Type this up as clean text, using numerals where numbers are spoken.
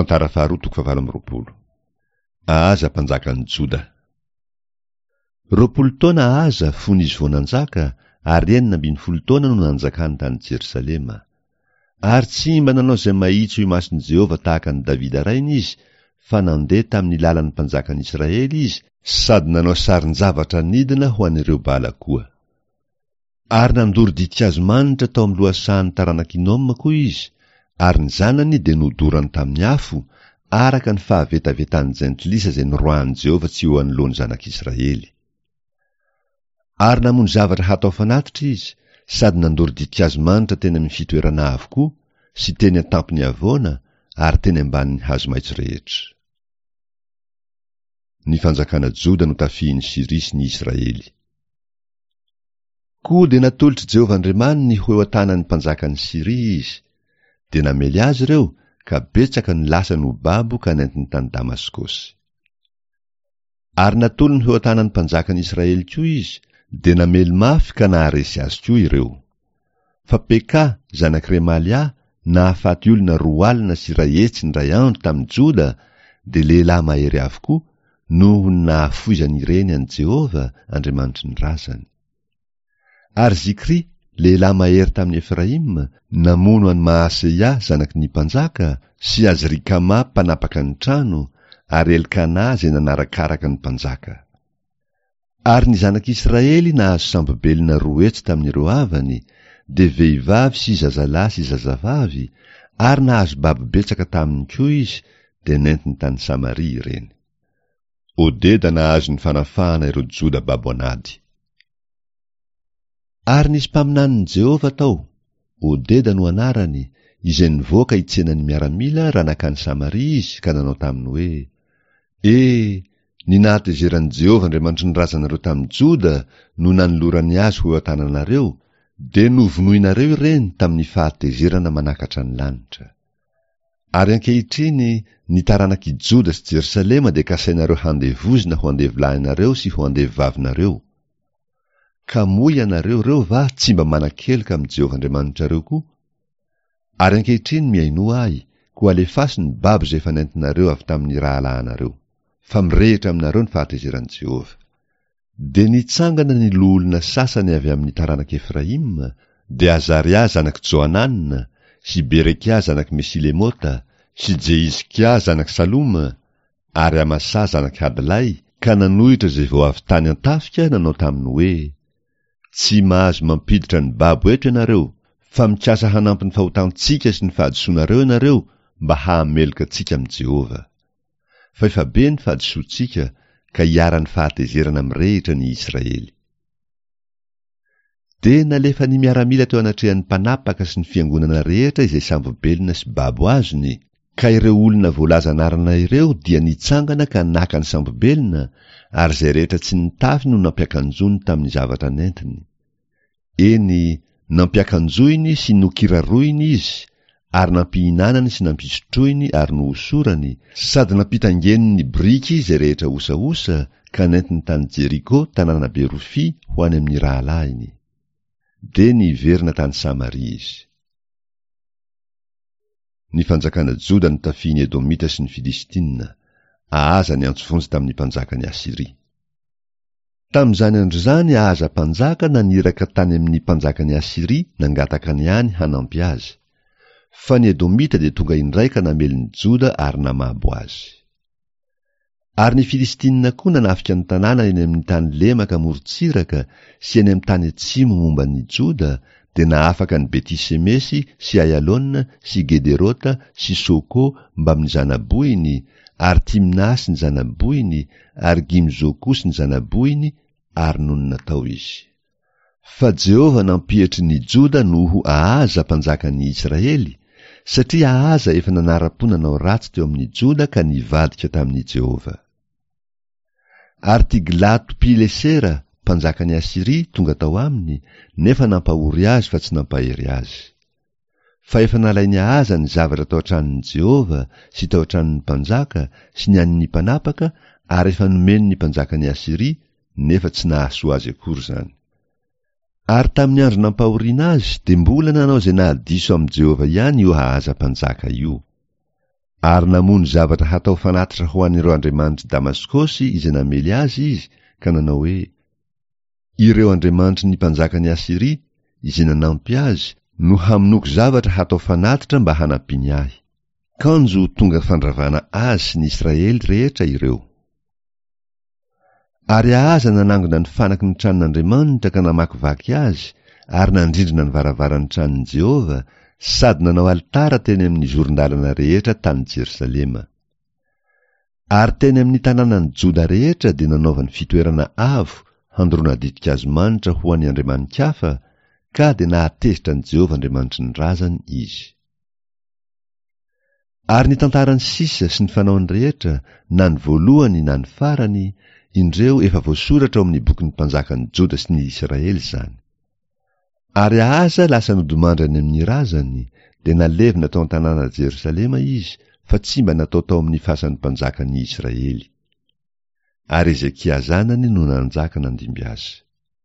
Tantara faharoa toko fahavalo amby 20. Ahaza mpanjakan'i Joda. 20 taona Ahaza fony izy vao nanjaka, ary 16 taona no nanjakany tany Jerosalema. Ary tsy mba nanao izay mahitsy eo imason'i Jehovah tahaka an'i Davida rainy izy, fa nandeha tamin'ny lalan'ny mpanjakan'i Israely izy sady nanao sarin-javatra anidina ho an'ireo Bala koa. Ary nandoro ditin-kazo manitra tao amin'ny lohasahan'ny taranak'i Hinoma koa izy, ary ny zanany dia nodorany tamin'ny afo, araka ny fahavetavetan'ny jentilisa izay noroahin'i Jehovah tsy ho eo anoloan'ny zanak'Israely. Ary namono zavatra hatao fanatitra izy, sady nandoro ditin-kazo manitra teny amin'ny fitoerana avo koa, sy teny an-tampon'ny havoana, ary teny ambanin'ny hazo maitso rehetra. Ny fanjakana Joda notafihin'i Syria sy ny Israely. Koa dia natolotr'i Jehovah Andriamaniny ho eo an-tanan'ny mpanjakan'i Syria izy. Dia namely azy ireo, ka betsaka ny lasany ho babo ka nentiny tany Damaskosy. Ary natolony ho eo an-tanan'ny mpanjakan'i Israely koa izy, dia namely mafy ka naharesy azy koa ireo. Fa Peka, zanak'i Remalia, nahafaty olona 120 indray andro tamin'i Joda, dia lehilahy mahery avokoa, noho ny nahafoizany ireny an'i Jehovah, Andriamanitry ny razany. Ary Zikry, lehilahy mahery tamin'i Efraima, namono an'i Maaseia zanaky ny mpanjaka, sy Azrikama mpanapaka ny trano, ary Elkana izay nanarakaraka ny mpanjaka. Ary ny zanak'Israely nahazo sambo-belona 200 tamin'ireo havany, dia vehivavy sy zazalahy sy zazavavy, ary nahazo babo betsaka taminy koa izy, dia nentiny tany Samaria ireny. Odeda nahazo ny fanafahana ireo Joda babo an'ady. Ary nisy mpaminanin'i Jehovah tao, Odeda no anarany, izay nivoaka hitsena ny miaramila raha nankany Samaria izy ka nanao taminy hoe, E, ny nahatezeran'i Jehovah Andriamanitry ny razanareo tamin'i Joda no nanolorany azy ho eo an-tananareo, dia novonoinareo ireny tamin'ny fahatezerana manakatra ny lanitra. Ary ankehitriny ny taranak'i Joda sy Jerosalema dia kasainareo handevozina ho andevolahinareo sy ho andevovavinareo. Ka moa ianareo ireo va tsy mba manan-keloka amin'i Jehovah Andriamanitrareo koa? Ary ankehitriny mihainoa ahy, koa alefaso ny babo izay efa nentinareo avy tamin'ny rahalahinareo, fa mirehitra aminareo ny fahatezeran'i Jehovah. Dia nitsangana ny loholona sasany avy amin'ny taranak'i Efraima, dia Azaria zanak'i Johanana, sy Berekia zanak'i Mesilemota, sy Jehizkia zanak'i Saloma, ary Amasa zanak'i Hadlay, ka nanohitra izay vao avy tany an-tafika nanao taminy hoe, Tsy mahazo mampiditra ny babo eto ianareo, fa mikasa hanampy ny fahotantsika sy ny fahadisoanareo ianareo mba hahameloka antsika amin'i Jehovah. Fa efa be ny fahadisoantsika ka iharan'ny fahatezerana mirehitra ny Israely. Dia nalefan'ny miaramila teo anatrehan'ny mpanapaka sy ny fiangonana rehetra izay sambo-belona sy babo azony, ka ireo olona voalaza anarana ireo dia nitsangana ka naka ny sambo-belona, ary izay rehetra tsy nitafy no nampiakanjoany tamin'ny zavatra nentiny. Eny, nampiakanjoiny sy nokiraroiny izy, ary nampihinanany sy nampisotroiny ary nohosorany, sady nampitaingeniny ny biriky izay rehetra osaosa, ka nentiny tany Jeriko, tanàna be rofia, ho any amin'ny rahalahiny. Dia niverina tany Samaria izy. Ny fanjakana Joda notafihin'ny Edomita sy ny Filistina. Ahaza niantso vonjy tamin'ny mpanjakan'i Asyria. Tamin'izany andro izany Ahaza mpanjaka naniraka tany amin'ny mpanjakan'i Asyria nangataka ny any hanampy azy. Fa ny Edomita dia tonga indray ka namely ny Joda ary namabo azy. Ary ny Filistina koa nanafika ny tanàna eny amin'ny tany lemaka amorontsiraka sy eny amin'ny tany atsimo momba ny Joda, dia nahafaka an'i Beti-semesy sy Aialona sy Gederota sy Soko mbamin'ny zana-bohiny ary Timna sy ny zana-bohiny ary Gimzo koa sy ny zana-bohiny, ary nonina tao izy. Fa Jehovah nampietry ny Joda noho Ahaza mpanjakan'ny Israely, satria Ahaza efa nanara-po nanao ratsy teo amin'ny Joda ka nivadika tamin'i Jehovah. Ary Tiglato-pilesera, mpanjakan'i Asyria, tonga tao aminy, nefa nampahory azy fa tsy nampahery azy. Fa efa nalain'i Ahaza ny zavatra tao an-tranon'i Jehovah sy tao an-tranon'ny mpanjaka sy ny an'ny mpanapaka ary efa nomeny ny mpanjakan'i Asyria, nefa tsy nahasoa azy akory izany. Ary tamin'ny andro nampahoriana azy dia mbola nanao izay nahadiso amin'i Jehovah ihany io Ahaza mpanjaka io. Ary namono zavatra hatao fanatitra ho an'ireo andriamanitr'i Damaskosy izay namely azy izy ka nanao hoe, Ireo andriamanitry ny mpanjakan'i Asyria, izay nanampy azy, no hamonoako zavatra hatao fanatitra mba hanampiany ahy. Kanjo tonga fandravana azy sy ny Israely rehetra ireo. Ary Ahaza nanangona ny fanaky ny tranon'Andriamanitra ka namakivaky azy ary nandrindrina ny varavaran'ny tranon'i Jehovah sady nanao alitara teny amin'ny zoron-dalana rehetra tany Jerosalema. Ary teny amin'ny tanànan'i Joda rehetra dia nanaovany fitoerana avo handoroana ditin-kazo manitra ho an'ny andriamani-kafa, ka dia nahatezitra an'i Jehovah Andriamanitry ny razany izy. Ary ny tantarany sisa sy ny fanaony rehetra, na ny voalohany na ny farany, indreo efa voasoratra ao amin'ny bokin'ny mpanjakan'ny Joda sy ny Israely izany. Ary Ahaza lasa nodimandry any amin'ny razany, dia nalevina tao an-tanàna Jerosalema izy, fa tsy mba natao tao amin'ny fasan'ny mpanjakan'ny Israely. Ary Hezekia zanany no nanjaka nandimby azy.